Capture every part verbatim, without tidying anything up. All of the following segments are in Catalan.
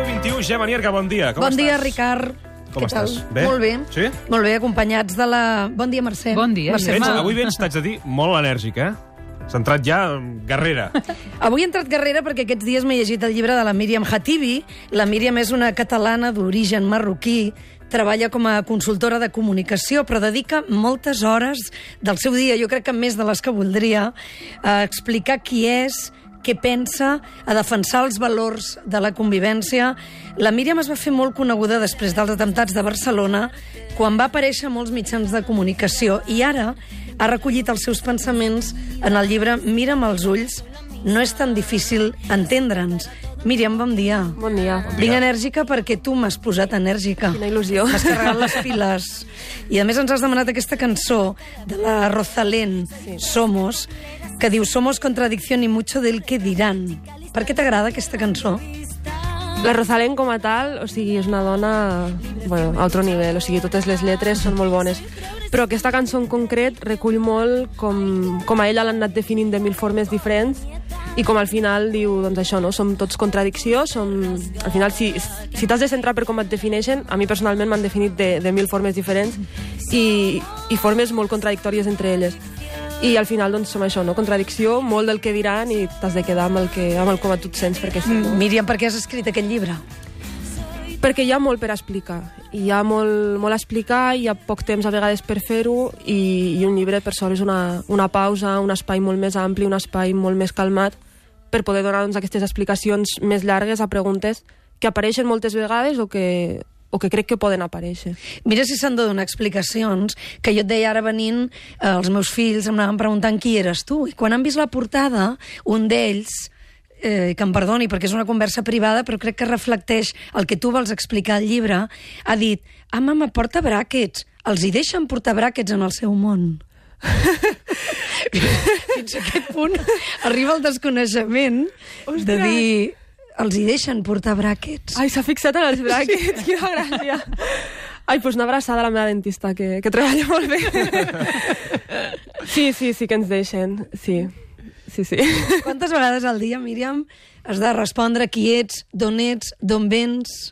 vint-i-u. Gemma Nierga, bon dia. Com bon estàs? dia, Ricard. Com Què tal? estàs? Bé? Molt bé. Sí? Molt bé, acompanyats de la... Bon dia, Mercè. Bon dia, Mercè Gemma. Vens, Mal. avui vens, t'haig de dir, molt enèrgic, eh? S'ha entrat ja guerrera. Avui he entrat guerrera perquè aquests dies m'he llegit el llibre de la Míriam Hatibi. La Míriam és una catalana d'origen marroquí, treballa com a consultora de comunicació, però dedica moltes hores del seu dia, jo crec que més de les que voldria, a explicar qui és, què pensa, a defensar els valors de la convivència. La Míriam es va fer molt coneguda després dels atemptats de Barcelona, quan va aparèixer a molts mitjans de comunicació, i ara ha recollit els seus pensaments en el llibre Mira'm als ulls, no és tan difícil entendre'ns. Míriam, bon dia. Bon dia. Vinc enèrgica perquè tu m'has posat enèrgica. Quina il·lusió. M'has carregat les piles. I a més ens has demanat aquesta cançó de la Rosalén, sí. Somos, que diu Somos contradicción y mucho del que dirán. Per què t'agrada aquesta cançó? La Rosalén com a tal, o sigui, és una dona, bueno, a altre nivell, o sigui, totes les lletres són molt bones. Però aquesta cançó en concret recull molt com, com a ella l'han anat definint de mil formes diferents i com al final diu, doncs això, no? Som tots contradicció, som... Al final, si, si t'has de centrar per com et defineixen, a mi personalment m'han definit de, de mil formes diferents i, i formes molt contradictòries entre elles. I al final, doncs, som això, no? Contradicció, molt del que diran i t'has de quedar amb el, que, amb el com a tu et sents, perquè sí. No? Míriam, per què has escrit aquest llibre? Perquè hi ha molt per explicar. Hi ha molt, molt a explicar, hi ha poc temps a vegades per fer-ho i, i un llibre per sol és una, una pausa, un espai molt més ampli, un espai molt més calmat per poder donar doncs, aquestes explicacions més llargues a preguntes que apareixen moltes vegades o que, o que crec que poden aparèixer. Mira si s'han de donar explicacions, que jo et deia ara venint, eh, els meus fills em anaven preguntant qui eres tu, i quan han vist la portada, un d'ells, eh, que em perdoni perquè és una conversa privada, però crec que reflecteix el que tu vols explicar al llibre, ha dit, ah, mama, porta bràquets, els hi deixen portar bràquets en el seu món. Fins a aquest punt arriba el desconeixement Ostres. de dir els hi deixen portar bràquets. Ai, s'ha fixat en els bràquets, sí. Quina gràcia. Ai, doncs una abraçada a la meva dentista, que, que treballa molt bé. Sí, sí, sí que ens deixen, sí. Sí, sí. Quantes vegades al dia, Míriam, has de respondre qui ets, d'on ets, d'on vens?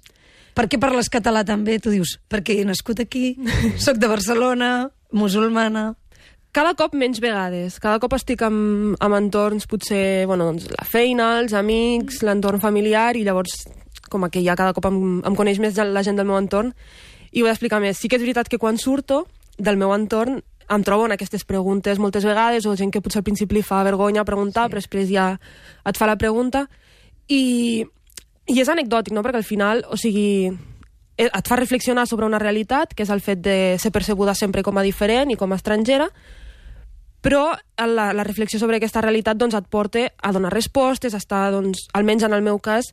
Per què parles català també? Tu dius, perquè he nascut aquí, soc de Barcelona, musulmana... Cada cop menys vegades. Cada cop estic amb, amb entorns, potser, bueno, doncs, la feina, els amics, l'entorn familiar, i llavors, com que ja cada cop em, em coneix més la gent del meu entorn, i ho he d'explicar més. Sí que és veritat que quan surto del meu entorn em trobo en aquestes preguntes moltes vegades, o gent que potser al principi li fa vergonya preguntar, sí. Però després ja et fa la pregunta, i, i és anecdòtic, no?, perquè al final, o sigui, et fa reflexionar sobre una realitat, que és el fet de ser percebuda sempre com a diferent i com a estrangera, però la, la reflexió sobre aquesta realitat doncs, et porta a donar respostes, a estar, doncs, almenys en el meu cas,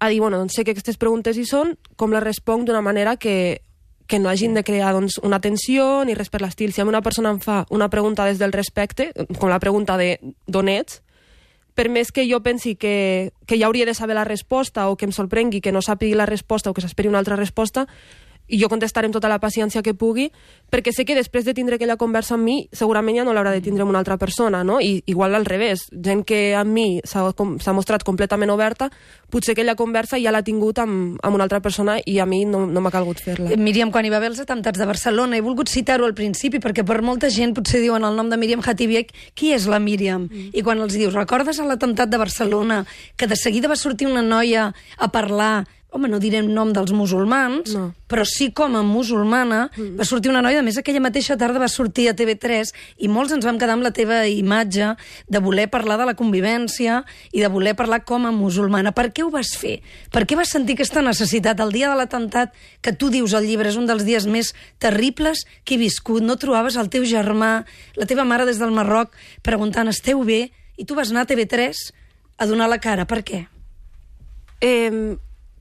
a dir, bueno, doncs, sé que aquestes preguntes hi són, com les responc d'una manera que, que no hagin de crear doncs, una tensió ni res per l'estil. Si a mi una persona em fa una pregunta des del respecte, com la pregunta de d'on ets, per més que jo pensi que, que ja hauria de saber la resposta o que em sorprengui que no sàpigui la resposta o que s'esperi una altra resposta, i jo contestaré amb tota la paciència que pugui, perquè sé que després de tindre aquella conversa amb mi, segurament ja no l'haurà de tindre amb una altra persona, no? I igual al revés, gent que amb mi s'ha mostrat completament oberta, potser aquella conversa ja l'ha tingut amb, amb una altra persona i a mi no, no m'ha calgut fer-la. Míriam, quan hi va haver els atemptats de Barcelona, he volgut citar-ho al principi, perquè per molta gent potser diuen el nom de Míriam Hatibi, qui és la Míriam? Mm. I quan els dius, recordes l'atemptat de Barcelona, que de seguida va sortir una noia a parlar, home, no direm nom dels musulmans, no. Però sí com a musulmana, mm. va sortir una noia, a més aquella mateixa tarda va sortir a T V tres, i molts ens vam quedar amb la teva imatge de voler parlar de la convivència i de voler parlar com a musulmana. Per què ho vas fer? Per què vas sentir aquesta necessitat? El dia de l'atemptat, que tu dius al llibre, és un dels dies més terribles que he viscut. No trobaves el teu germà, la teva mare des del Marroc, preguntant, esteu bé? I tu vas anar a T V tres a donar la cara. Per què? Eh...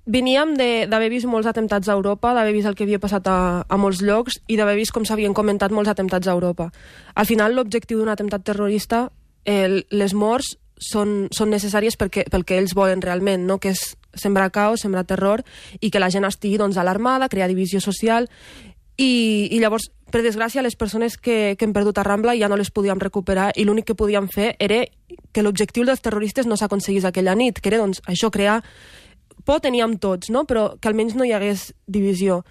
Veníem d'haver vist molts atemptats a Europa, d'haver vist el que havia passat a, a molts llocs i d'haver vist com s'havien comentat molts atemptats a Europa. Al final, l'objectiu d'un atemptat terrorista, eh, les morts són, són necessàries perquè, pel que ells volen realment, no? Que és sembrar caos, sembrar terror i que la gent estigui doncs, alarmada, crear divisió social i, i llavors, per desgràcia, les persones que, que hem perdut a Rambla ja no les podíem recuperar i l'únic que podíem fer era que l'objectiu dels terroristes no s'aconseguís aquella nit, que era doncs, això, crear por teníem tots, no? Però que almenys no hi hagués divisió.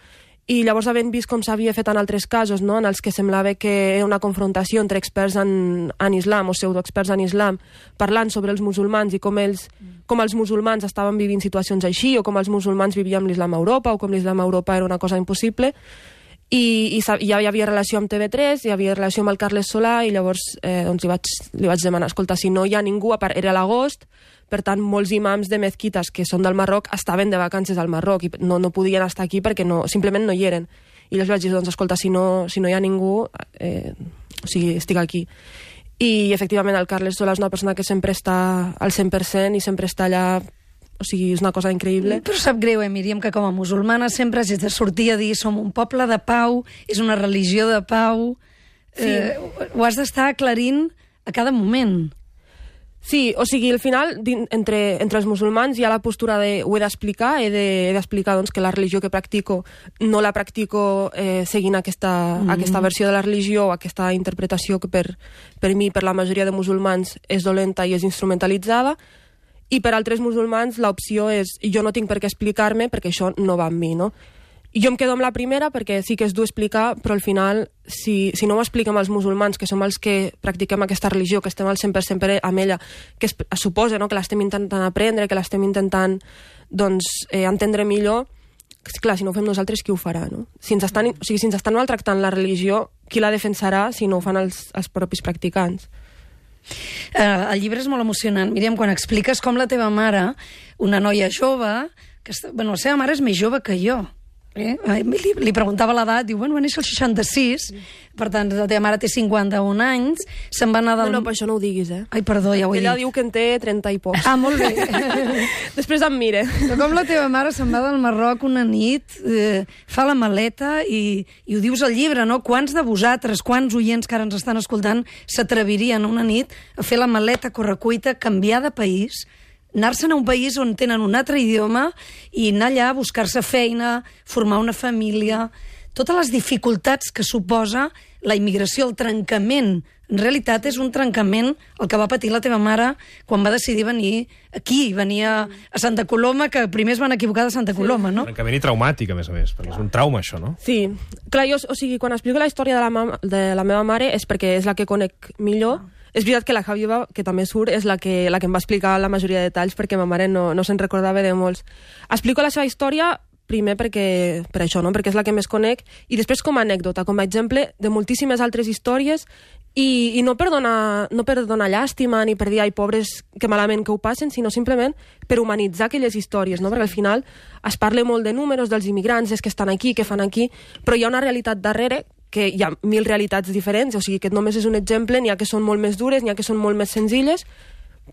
I llavors, havent vist com s'havia fet en altres casos, no? En els que semblava que era una confrontació entre experts en, en islam o pseudoexperts en islam, parlant sobre els musulmans i com, ells, com els musulmans estaven vivint situacions així, o com els musulmans vivíem l'islam a Europa, o com l'islam a Europa era una cosa impossible. I, i ja hi havia relació amb T V tres, hi havia relació amb el Carles Solà, i llavors eh, doncs li, vaig, li vaig demanar, escolta, si no hi ha ningú, a part, era l'agost, per tant, molts imams de mezquites que són del Marroc estaven de vacances al Marroc i no, no podien estar aquí perquè no, simplement no hi eren. I llavors vaig dir, doncs, escolta, si no, si no hi ha ningú, eh, o sigui, estic aquí. I, efectivament, el Carles Solà és una persona que sempre està al cent per cent i sempre està allà. O sigui, és una cosa increïble. Però sap greu, eh, Míriam, que com a musulmana sempre has de sortir a dir som un poble de pau, és una religió de pau. Sí. Eh, ho has d'estar aclarint a cada moment. Sí, o sigui, al final, entre, entre els musulmans hi ha la postura de ho he d'explicar, he d'explicar de, doncs, que la religió que practico no la practico eh, seguint aquesta, mm. aquesta versió de la religió o aquesta interpretació que per, per mi, per la majoria de musulmans, és dolenta i és instrumentalitzada. I per altres musulmans l'opció és jo no tinc per què explicar-me perquè això no va amb mi, no? I jo em quedo amb la primera perquè sí que és dur explicar, però al final, si, si no ho expliquem als musulmans, que som els que practiquem aquesta religió, que estem al cent per cent amb ella, que es, es suposa, no?, que l'estem intentant aprendre, que l'estem intentant doncs, eh, entendre millor, clar, si no ho fem nosaltres, qui ho farà, no? Si ens estan, o sigui, si ens estan maltractant la religió, qui la defensarà si no ho fan els, els propis practicants? Uh, el llibre és molt emocionant, Míriam, quan expliques com la teva mare, una noia jove, que està, bueno, la seva mare és més jove que jo, eh? li, li preguntava l'edat, diu, bueno, va néixer el seixanta-sis, per tant, la teva mare té cinquanta-un anys, se'n va anar del... No, no, per això no ho diguis, eh? Ai, perdó, ja ho he Ella dit. diu que en té trenta i pocs. Ah, molt bé. Després em mire. Però com la teva mare se'n va del Marroc una nit, eh, fa la maleta i, i ho dius al llibre, no? Quants de vosaltres, quants oients que ara ens estan escoltant s'atrevirien una nit a fer la maleta correcuita, canviar de país, anar-se'n a un país on tenen un altre idioma i anar allà a buscar-se feina, formar una família, totes les dificultats que suposa la immigració, el trencament. En realitat és un trencament el que va patir la teva mare quan va decidir venir aquí, venir a, a Santa Coloma, que primer es van equivocar de Santa Coloma, no? Trencament i traumàtic, a més a més, perquè és un trauma, això, no? Sí. Clar, jo, o sigui, quan explico la història de la, mama, de la meva mare és perquè és la que conec millor. És veritat que la Javiva, que també surt, és la que, la que em va explicar la majoria de detalls perquè ma mare no, no se'n recordava de molts. Explico la seva història primer perquè, per això, no? Perquè és la que més conec, i després com a anècdota, com a exemple de moltíssimes altres històries, i, i no, per donar, no per donar llàstima ni per dir, ai, pobres, que malament que ho passen, sinó simplement per humanitzar aquelles històries, no? Perquè al final es parla molt de números dels immigrants, és que estan aquí, que fan aquí, però hi ha una realitat darrere que hi ha mil realitats diferents, o sigui que només és un exemple, n'hi ha que són molt més dures, n'hi ha que són molt més senzilles,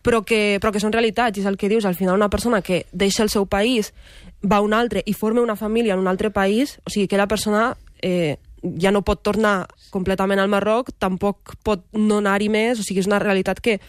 però que, però que són realitats, i és el que dius, al final una persona que deixa el seu país, va a un altre i forma una família en un altre país, o sigui, aquella persona eh, ja no pot tornar completament al Marroc, tampoc pot no anar-hi més, o sigui, és una realitat que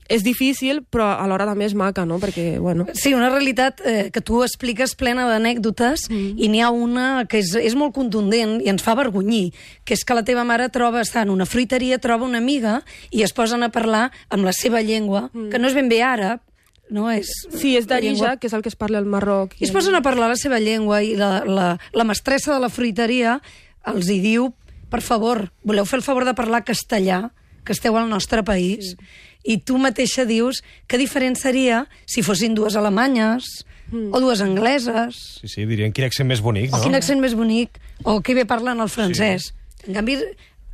és difícil, però alhora també és maca, no? Perquè, bueno... Sí, una realitat eh, que tu expliques plena d'anècdotes, mm. i n'hi ha una que és, és molt contundent i ens fa avergonyir, que és que la teva mare troba, està en una fruiteria, troba una amiga i es posen a parlar amb la seva llengua, mm. que no és ben bé àrab, no és... Sí, és d'Arija, que és el que es parla al Marroc. I es posen a parlar la seva llengua i la, la, la mestressa de la fruiteria els hi diu, per favor, voleu fer el favor de parlar castellà, que esteu al nostre país, sí. I tu mateixa dius que diferent seria si fossin dues alemanyes mm. o dues angleses. Sí, sí, dirien quin accent més bonic, no? O quin accent més bonic, o que bé parlen el francès. Sí. En canvi,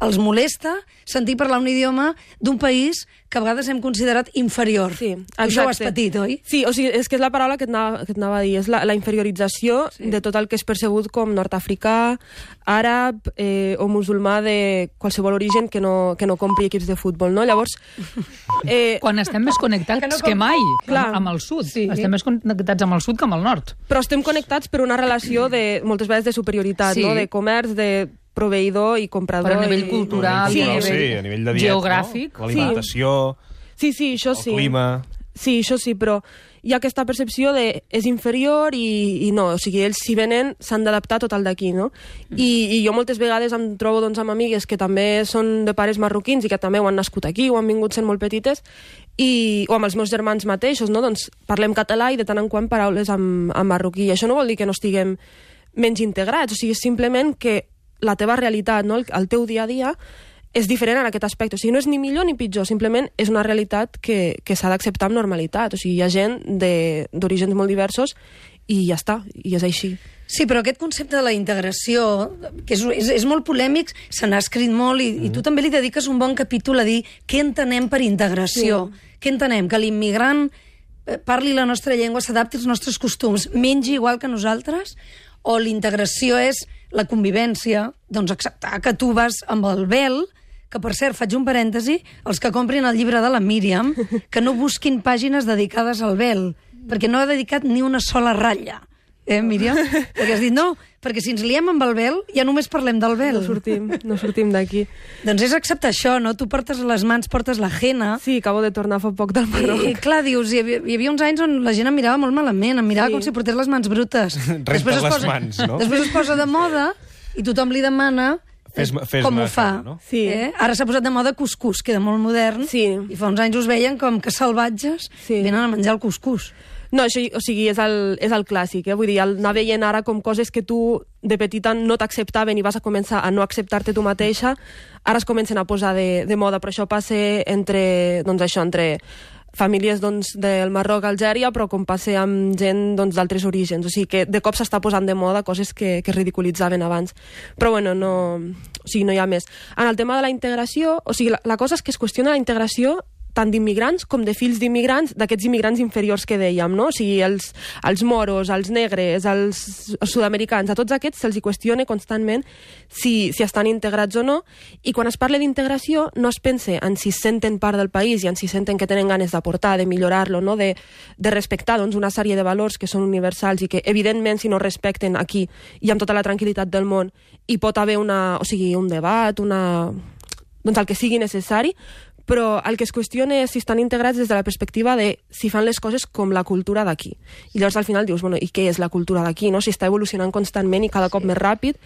els molesta sentir parlar un idioma d'un país que a vegades hem considerat inferior. Sí, això ho has patit, oi? Sí, o sigui, és que és la paraula que et anava, que et anava a dir, és la, la inferiorització sí. de tot el que és percebut com nord-africà, àrab eh, o musulmà de qualsevol origen que no, que no compri equips de futbol, no? Llavors... Eh, Quan estem més connectats que, no que mai clar, amb, amb el sud. Sí. Estem més connectats amb el sud que amb el nord. Però estem connectats per una relació de, moltes vegades de superioritat, sí. no? De comerç, de proveïdor i comprador. Però a nivell i... cultural, sí, a nivell, sí, a nivell de diet, geogràfic. No? L'alimentació, sí, sí, això el sí. clima... Sí, això sí, però... hi ha aquesta percepció de és inferior i, i no, o sigui, ells si venen s'han d'adaptar tot el d'aquí, no? I, I jo moltes vegades em trobo doncs, amb amigues que també són de pares marroquins i que també ho han nascut aquí o han vingut sent molt petites, i, o amb els meus germans mateixos, no? Doncs parlem català i de tant en quant paraules en, en marroquí. I això no vol dir que no estiguem menys integrats, o sigui, simplement que la teva realitat, no? el, el teu dia a dia, és diferent en aquest aspecte. O sigui, no és ni millor ni pitjor, simplement és una realitat que, que s'ha d'acceptar amb normalitat. O sigui, hi ha gent d'orígens molt diversos i ja està, i és així. Sí, però aquest concepte de la integració, que és, és, és molt polèmic, se n'ha escrit molt, i, mm. i tu també li dediques un bon capítol a dir què entenem per integració. Sí. Què entenem? Que l'immigrant parli la nostra llengua, s'adapti als nostres costums, mengi igual que nosaltres? O l'integració és la convivència, doncs acceptar que tu vas amb el vel, que per cert, faig un parèntesi, els que comprin el llibre de la Míriam, que no busquin pàgines dedicades al vel, perquè no ha dedicat ni una sola ratlla. Eh, Míriam? Perquè has dit, no, perquè si ens liem amb el vel, ja només parlem del vel. No sortim, no sortim d'aquí. Doncs és acceptar això, no? Tu portes a les mans, portes la henna. Sí, acabo de tornar fa poc del Marroc. I, i clar, dius, hi havia, hi havia uns anys on la gent em mirava molt malament, em mirava sí. com si portés les mans brutes. Renta les posa, mans, no? Després es posa de moda i tothom li demana Fes, fes com ho fa. no? Sí. Eh? Ara s'ha posat de moda cuscús, queda molt modern, sí. i fa uns anys us veien com que salvatges sí. venen a menjar el cuscús. No, això, o sigui, és el, és el clàssic, eh? Vull dir, anar veient ara com coses que tu de petita no t'acceptaven i vas a començar a no acceptar-te tu mateixa, ara es comencen a posar de, de moda, però això passa entre, doncs això, entre famílies doncs, del Marroc, Algèria, però com passa amb gent doncs, d'altres orígens. O sigui que de cop s'està posant de moda coses que, que es ridiculitzaven abans. Però bueno, no, o sigui, no hi ha més. En el tema de la integració, o sigui, la, la cosa és que es qüestiona la integració tant d'immigrants com de fills d'immigrants, d'aquests immigrants inferiors que dèiem, no? O sigui, els, els moros, els negres, els, els sud-americans, a tots aquests se'ls hi qüestiona constantment si, si estan integrats o no, i quan es parla d'integració no es pensa en si senten part del país i en si senten que tenen ganes d'aportar, de millorar-lo, no? de, de respectar doncs, una sèrie de valors que són universals i que, evidentment, si no respecten aquí i amb tota la tranquil·litat del món, hi pot haver una, o sigui, un debat, una, doncs el que sigui necessari, però el que es qüestiona és si estan integrats des de la perspectiva de si fan les coses com la cultura d'aquí. I llavors al final dius, bueno, i què és la cultura d'aquí? No? Si està evolucionant constantment i cada cop més ràpid,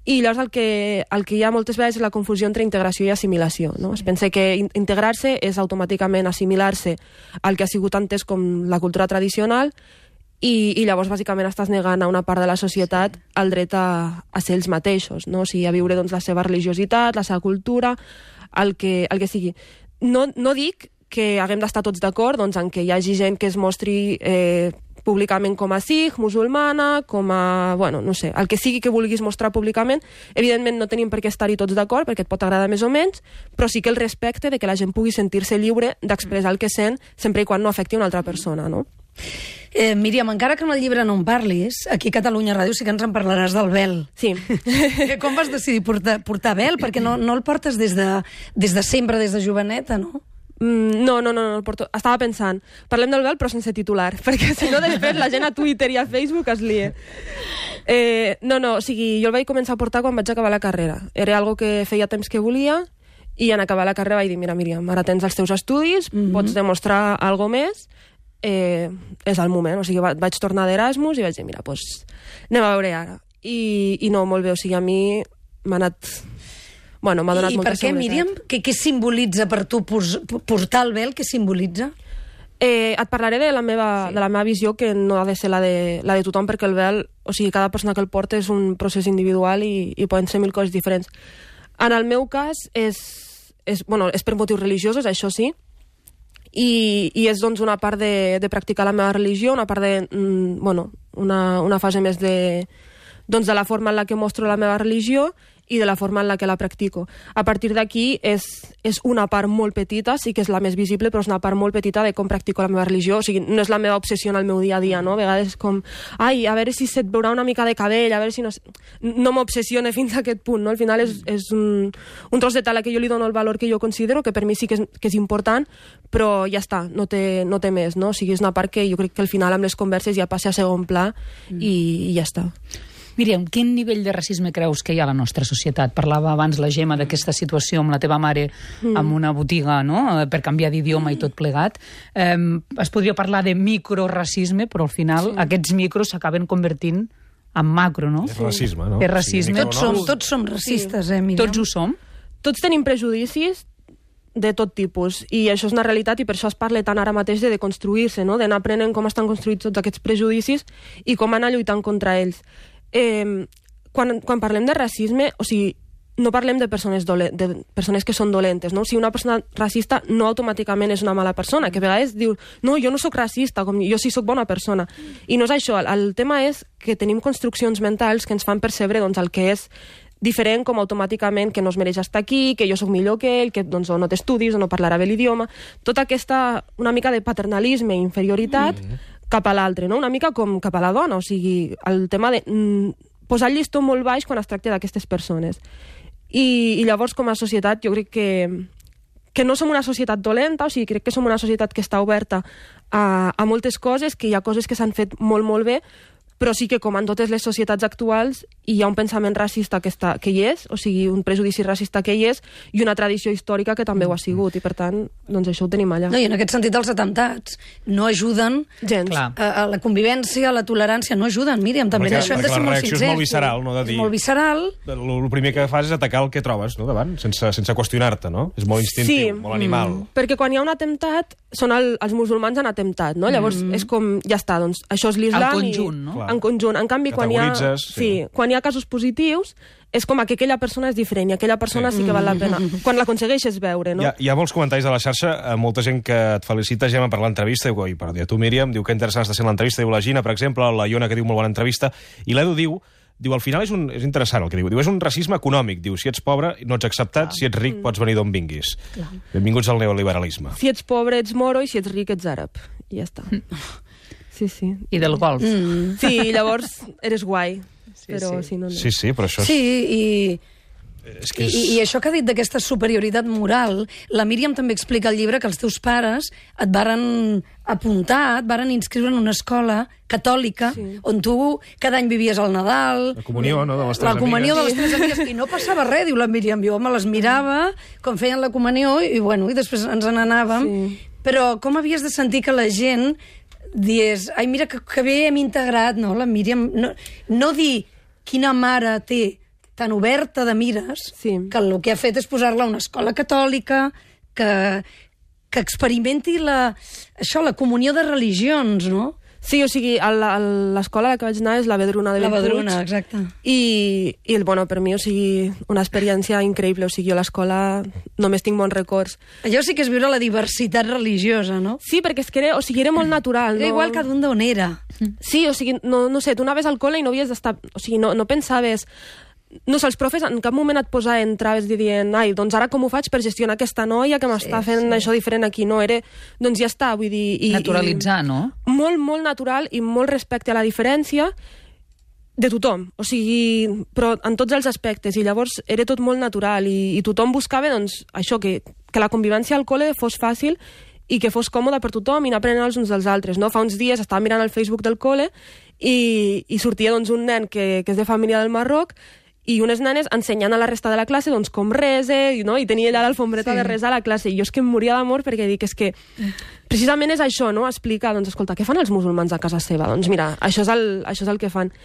i llavors el que, el que hi ha moltes vegades és la confusió entre integració i assimilació. No? Es pensa que integrar-se és automàticament assimilar-se al que ha sigut antes com la cultura tradicional, i, i llavors bàsicament estàs negant a una part de la societat el dret a, a ser ells mateixos, no? O sigui, a viure doncs, la seva religiositat, la seva cultura, el que, el que sigui. No, no dic que haguem d'estar tots d'acord doncs, en que hi hagi gent que es mostri eh, públicament com a sikh, musulmana, com a... bueno, no sé, el que sigui que vulguis mostrar públicament. Evidentment no tenim per què estar-hi tots d'acord, perquè et pot agradar més o menys, però sí que el respecte de que la gent pugui sentir-se lliure d'expressar el que sent, sempre i quan no afecti una altra persona, no? Eh, Míriam, encara que en el llibre no en parlis, aquí a Catalunya Ràdio sí que ens en parlaràs del vel. Sí. Com vas decidir portar, portar vel? Perquè no, no el portes des de, des de sempre, des de joveneta, no? Mm, no, no, no, no el porto. Estava pensant, parlem del vel però sense titular, perquè si no després la gent a Twitter i a Facebook es lia. Eh, no, no, o sigui, jo el vaig començar a portar quan vaig acabar la carrera. Era algo que feia temps que volia i en acabar la carrera vaig dir, mira, Míriam, ara tens els teus estudis, mm-hmm. pots demostrar alguna més, Eh, és el moment, o sigui, vaig tornar d'Erasmus i vaig dir, mira, doncs anem a veure ara. I, i no, molt bé, o sigui, a mi m'ha anat... Bueno, m'ha donat I molta per què, seguretat. Míriam? Què, què simbolitza per tu portar el vel? Què simbolitza? Eh, et parlaré de la, meva, sí. de la meva visió, que no ha de ser la de, la de tothom, perquè el vel, o sigui, cada persona que el porta és un procés individual i, i poden ser mil coses diferents. En el meu cas, és, és, bueno, és per motius religiosos, això sí, I, i és doncs una part de, de practicar la meva religió, una part de, mm, bueno, una, una fase més de, doncs de la forma en la que mostro la meva religió i de la forma en la que la practico. A partir d'aquí és, és una part molt petita, sí que és la més visible, però és una part molt petita de com practico la meva religió. O sigui, no és la meva obsessió en el meu dia a dia, no? A vegades com, ai, a veure si se't veurà una mica de cabell, a veure si no... No m'obsessione fins a aquest punt, no? Al final és, és un, un tros de tela que jo li dono el valor que jo considero, que per mi sí que és, que és important, però ja està, no té, no té més, no? O sigui, és una part que jo crec que al final amb les converses ja passa a segon pla i, i ja està. Míriam, quin nivell de racisme creus que hi ha a la nostra societat? Parlava abans la Gemma d'aquesta situació amb la teva mare mm. amb una botiga, no?, per canviar d'idioma i tot plegat. Eh, es podria parlar de microracisme, però al final sí. aquests micros s'acaben convertint en macro, no? És racisme, no? És racisme. Tots som, tots som racistes, eh, Míriam? Tots ho som. Tots tenim prejudicis de tot tipus, i això és una realitat, i per això es parla tant ara mateix de deconstruir-se, no? D'anar aprenent com estan construïts tots aquests prejudicis i com anar lluitant contra ells. Eh, quan, quan parlem de racisme, o sigui, no parlem de persones, dole, de persones que són dolentes, no? O sigui, una persona racista no automàticament és una mala persona, que a vegades diu, no, jo no sóc racista, com jo sí sóc bona persona. I no és això, el, el tema és que tenim construccions mentals que ens fan percebre doncs, el que és diferent, com automàticament que no es mereix estar aquí, que jo sóc millor que ell, que doncs, o no t'estudis, o no parlarà bé l'idioma. Tota aquesta, una mica de paternalisme i inferioritat mm. cap a l'altre, no? Una mica com cap a la dona, o sigui, el tema de mm, posar el llistó molt baix quan es tracta d'aquestes persones. I, I llavors, com a societat, jo crec que, que no som una societat dolenta, o sigui, crec que som una societat que està oberta a, a moltes coses, que hi ha coses que s'han fet molt, molt bé, però sí que, com en totes les societats actuals, hi ha un pensament racista que, està, que hi és, o sigui, un prejudici racista que hi és, i una tradició històrica que també ho ha sigut, i per tant, doncs això ho tenim allà. No, i en aquest sentit els atemptats no ajuden gens. A, a la convivència, a la tolerància, no ajuden, Míriam, també Perquè, d'això hem de ser molt sincers. La reacció és molt visceral, no? De dir, és molt visceral. El, el primer que fas és atacar el que trobes, no?, davant, sense, sense qüestionar-te, no? És molt instintiu, sí. molt animal. Mm. Perquè quan hi ha un atemptat, són el, els musulmans han atemptat, no? Llavors mm. és com, ja està, doncs això és l'islam. En conjunt, no? En conjunt. En canvi, quan hi ha, sí. Sí, quan hi ha casos positius, és com que aquella persona és diferent i aquella persona sí, sí que val la pena. Quan l'aconsegueixes veure, no? Hi ha, hi ha molts comentaris a la xarxa, molta gent que et felicita, Gemma, per l'entrevista, diu, i per dir a tu, Míriam, diu que interessant està sent l'entrevista, diu la Gina, per exemple, la Iona, que diu molt bona entrevista, i l'Edu diu, diu, al final és, un, és interessant el que diu, diu, és un racisme econòmic, diu, si ets pobre no ets acceptat, Clar. Si ets ric pots venir d'on vinguis. Clar. Benvinguts al neoliberalisme. Si ets pobre ets moro i si ets ric ets àrab. I ja està. Sí, sí. I del golf. Mm. Sí, llavors eres guai. Sí, però, sí. Si no, no. sí, sí, però això és... Sí, i... És que és... I, I això que ha dit d'aquesta superioritat moral, la Míriam també explica al llibre que els teus pares et varen apuntar, et varen inscriure en una escola catòlica, sí. on tu cada any vivies al Nadal... La comunió, no?, de les teves La comunió amigues. de les teves amigues. I no passava res, diu la Míriam. Jo me les mirava com feien la comunió i, bueno, i després ens n'anàvem. Sí. Però com havies de sentir que la gent dies, ai, mira, que, que bé hem integrat, no, la Míriam... No, no dir quina mare té tan oberta de mires, sí. que el que ha fet és posar-la a una escola catòlica, que, que experimenti la, això, la comunió de religions, no? Sí, o sigui, l'escola a la que vaig anar és la Vedruna de Bellpuig. La Vedruna, exacte. I, i bueno, per mi, o sigui, una experiència increïble. O sigui, jo a l'escola només tinc bons records. Allò sí que és viure la diversitat religiosa, no? Sí, perquè és que era, o sigui, era molt natural. Era no? igual cada un d'on era. Sí, o sigui, no, no sé, tu anaves al col·le i no havies d'estar... O sigui, no, no pensaves... No sé, els profes en cap moment et posaven traves dient, ai, doncs ara com ho faig per gestionar aquesta noia que m'està sí, fent sí. això diferent aquí? No, era... Doncs ja està, vull dir... I, Naturalitzar, i, no? Molt, molt natural i molt respecte a la diferència de tothom, o sigui, però en tots els aspectes, i llavors era tot molt natural i, i tothom buscava, doncs, això, que, que la convivència al col·le fos fàcil i que fos còmode per tothom i anar aprenent els uns dels altres, no? Fa uns dies estava mirant el Facebook del col·le i, i sortia, doncs, un nen que, que és de família del Marroc i unes nenes ensenyant a la resta de la classe doncs, com rese, no? I tenia allà l'alfombreta sí. de resar a la classe. I jo és que em moria d'amor perquè dic, és que precisament és això, no? Explicar, doncs, escolta, què fan els musulmans a casa seva? Doncs mira, això és el, això és el que fan.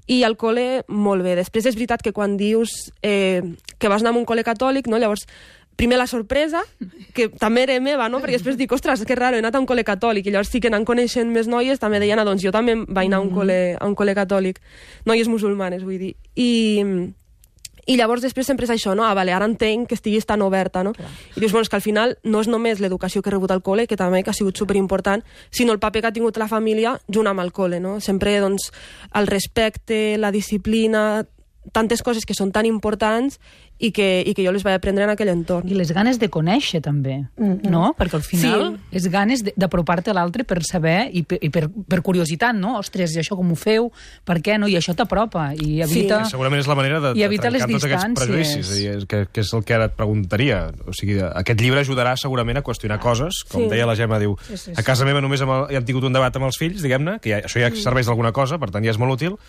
I al col·le, molt bé. Després és veritat que quan dius eh, que vas anar a un col·le catòlic, no? Llavors, primer la sorpresa, que també era meva, no? Perquè després dic, ostres, que raro, he anat a un col·le catòlic, i llavors sí que anant coneixent més noies, també deien, ah, doncs jo també vaig anar a un col·le, a un col·le catòlic. Noies musulmanes, vull dir. I, i llavors després sempre és això, no? Ah, vale, ara entenc que estiguis tan oberta, no? Clar. I dius, bueno, és que al final no és només l'educació que he rebut al col·le, que també que ha sigut superimportant, sinó el paper que ha tingut la família junt amb el col·le, no? Sempre, doncs, el respecte, la disciplina, tantes coses que són tan importants i que, i que jo les vaig aprendre en aquell entorn. I les ganes de conèixer, també, mm-hmm. no? Perquè al final sí. és ganes d'apropar-te a l'altre per saber i, per, i per, per curiositat, no? Ostres, i això com ho feu? Per què no? I això t'apropa i evita... Sí. Segurament és la manera de, i de trencar tots aquests prejudicis, i que, que és el que ara et preguntaria. O sigui, aquest llibre ajudarà segurament a qüestionar coses, com sí. deia la Gemma, diu, sí, sí, sí. a casa meva només hem, hem tingut un debat amb els fills, diguem-ne, que ja, això ja serveix d'alguna cosa, per tant ja és molt útil,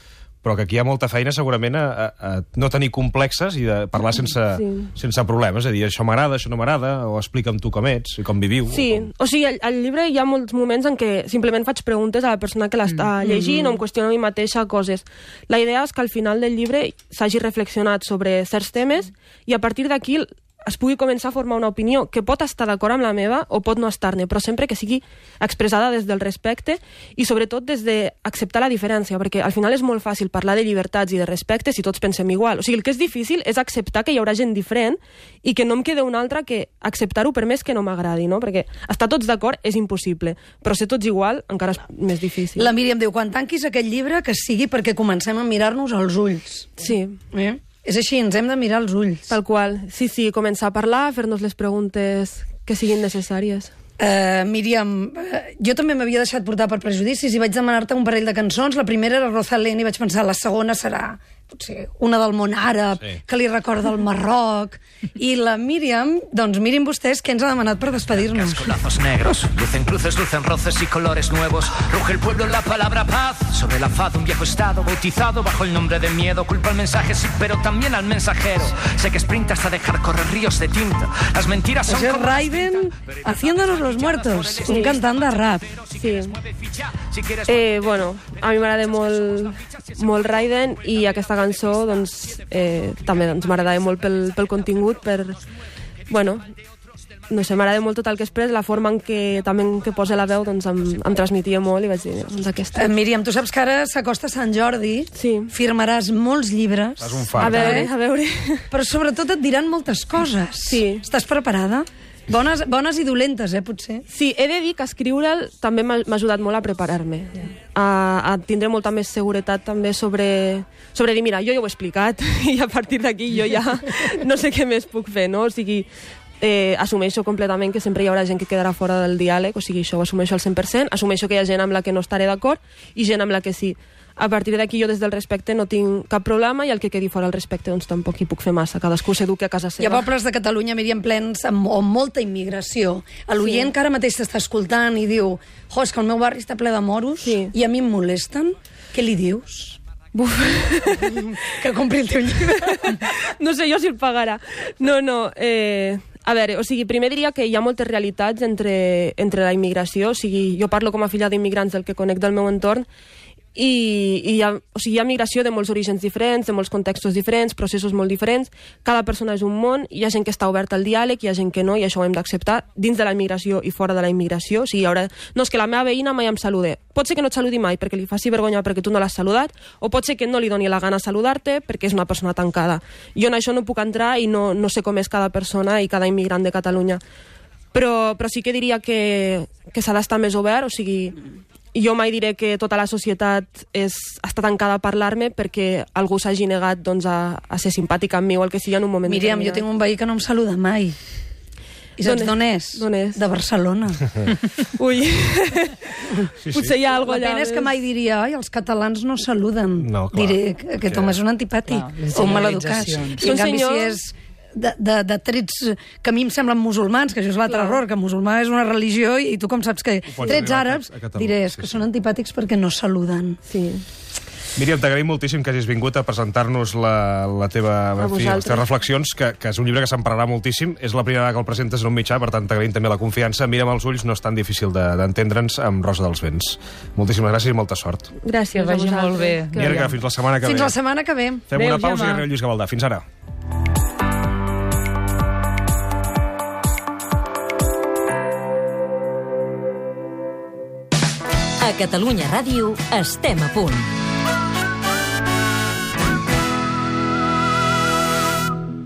però que aquí hi ha molta feina segurament a, a, a no tenir complexes i de parlar sense, Sí. sense problemes, és a dir, això m'agrada, això no m'agrada, o explica'm tu com ets i com viviu. Sí, o sigui, al, al llibre hi ha molts moments en què simplement faig preguntes a la persona que l'està llegint o em qüestiono a mi mateixa coses. La idea és que al final del llibre s'hagi reflexionat sobre certs temes i a partir d'aquí es pugui començar a formar una opinió que pot estar d'acord amb la meva o pot no estar-ne, però sempre que sigui expressada des del respecte i sobretot des d'acceptar la diferència, perquè al final és molt fàcil parlar de llibertats i de respecte si tots pensem igual. O sigui, el que és difícil és acceptar que hi haurà gent diferent i que no em queda una altra que acceptar-ho per més que no m'agradi, no? Perquè estar tots d'acord és impossible, però ser tots igual encara és més difícil. La Míriam diu, quan tanquis aquest llibre, que sigui perquè comencem a mirar-nos als ulls. Sí. Eh? És així, ens hem de mirar als ulls. Tal qual. Sí, sí, començar a parlar, fer-nos les preguntes que siguin necessàries. Uh, Míriam, uh, jo també m'havia deixat portar per prejudicis i vaig demanar-te un parell de cançons. La primera era Rosalén i vaig pensar, la segona serà potser una del món àrab, Sí. que li recorda el Marroc. I la Míriam, doncs mirin vostès què ens ha demanat per despedir-nos. Con lazos negros, lucen cruces, lucen roces y colores nuevos. Ruge el pueblo en la palabra paz. Sobre la faz de un viejo estado bautizado bajo el nombre de miedo. Culpa al mensaje, sí, pero también al mensajero. Sé que sprinta hasta dejar correr ríos de tinta. Las mentiras son Això és como... Raiden haciéndonos los muertos, un cantant de rap. Sí. Eh, bueno, a mi m'agrada molt, molt Raiden i aquesta cançó doncs, eh, també doncs, m'agrada molt pel, pel contingut, per... Bueno, no sé, m'agrada molt tot el que expressa, la forma en què també en què posa la veu doncs, em, em transmetia molt i vaig dir, doncs aquesta. Eh, Míriam, tu saps que ara s'acosta Sant Jordi, Sí. firmaràs molts llibres, Fas un A fart. veure, eh? a veure... però sobretot et diran moltes coses. Sí. Estàs preparada? Bones, bones i dolentes, eh, potser. Sí, he de dir que escriure'l també m'ha m'ha ajudat molt a preparar-me, a, a tindre molta més seguretat també sobre, sobre dir, mira, jo ja ho he explicat i a partir d'aquí jo ja no sé què més puc fer, no? O sigui, eh, assumeixo completament que sempre hi haurà gent que quedarà fora del diàleg, o sigui, això ho assumeixo al cent per cent, assumeixo que hi ha gent amb la que no estaré d'acord i gent amb la que sí. A partir d'aquí jo des del respecte no tinc cap problema i el que quedi fora el respecte doncs tampoc hi puc fer massa, cadascú s'eduqui a casa seva. Hi ha pobles de Catalunya, Míriam, plens amb, amb molta immigració. L'oient Sí. que ara mateix t'està escoltant i diu, jo, és que el meu barri està ple de moros Sí. i a mi em molesten, què li dius? Buf. Que compri el teu llibre. No sé jo si el pagarà. No, no, eh... A veure, o sigui, primer diria que hi ha moltes realitats entre, entre la immigració, o sigui, jo parlo com a filla d'immigrants del que conec del meu entorn, i, i hi, ha, o sigui, hi ha migració de molts orígens diferents, de molts contextos diferents, processos molt diferents, cada persona és un món, hi ha gent que està oberta al diàleg, hi ha gent que no, i això ho hem d'acceptar, dins de la immigració i fora de la immigració, o sigui, hi haurà... no, és que la meva veïna mai em salude, pot ser que no et saludi mai perquè li faci vergonya perquè tu no l'has saludat, o pot ser que no li doni la gana saludar-te perquè és una persona tancada. Jo en això no puc entrar i no, no sé com és cada persona i cada immigrant de Catalunya, però, però sí que diria que, que s'ha d'estar més obert, o sigui... Jo mai diré que tota la societat és, està tancada a parlar-me perquè algú s'hagi negat doncs, a, a ser simpàtic amb mi o el que sigui en un moment Míriam, jo determinat. tinc un veí que no em saluda mai. I saps d'on és? D'on és? De Barcelona. Ui, Sí, sí. potser hi ha La alguna allà. pena és que mai diria, ai, els catalans no saluden. No, clar. Diré que aquest home és un antipàtic Clar, les o un maleducat. generalitzacions. I en Són canvi, senyors- si és de, de, de trets que a mi em semblen musulmans, que això és l'altre Clar. error, que musulmà és una religió i tu com saps que pots trets arribar a- àrabs, a Catalunya, diré, és sí, que sí. són antipàtics perquè no saluden. Sí. Míriam, t'agraïm moltíssim que hagis vingut a presentar-nos la, la teva, en fi, les vosaltres. teves reflexions, que, que és un llibre que se'n parlarà moltíssim. És la primera vegada que el presentes en un mitjà, per tant t'agraïm també la confiança. Mira'm als ulls, no és tan difícil de- d'entendre'ns amb Rosa dels Vents. Moltíssimes gràcies i molta sort. Gràcies Que vagi a vosaltres. molt bé. Que Mirga, vagi. fins la setmana que Fins ve. la setmana que ve. Fem Adéu, una pausa Gemma. i arriba Lluís Gavaldà. Fins ara. A Catalunya Ràdio estem a punt.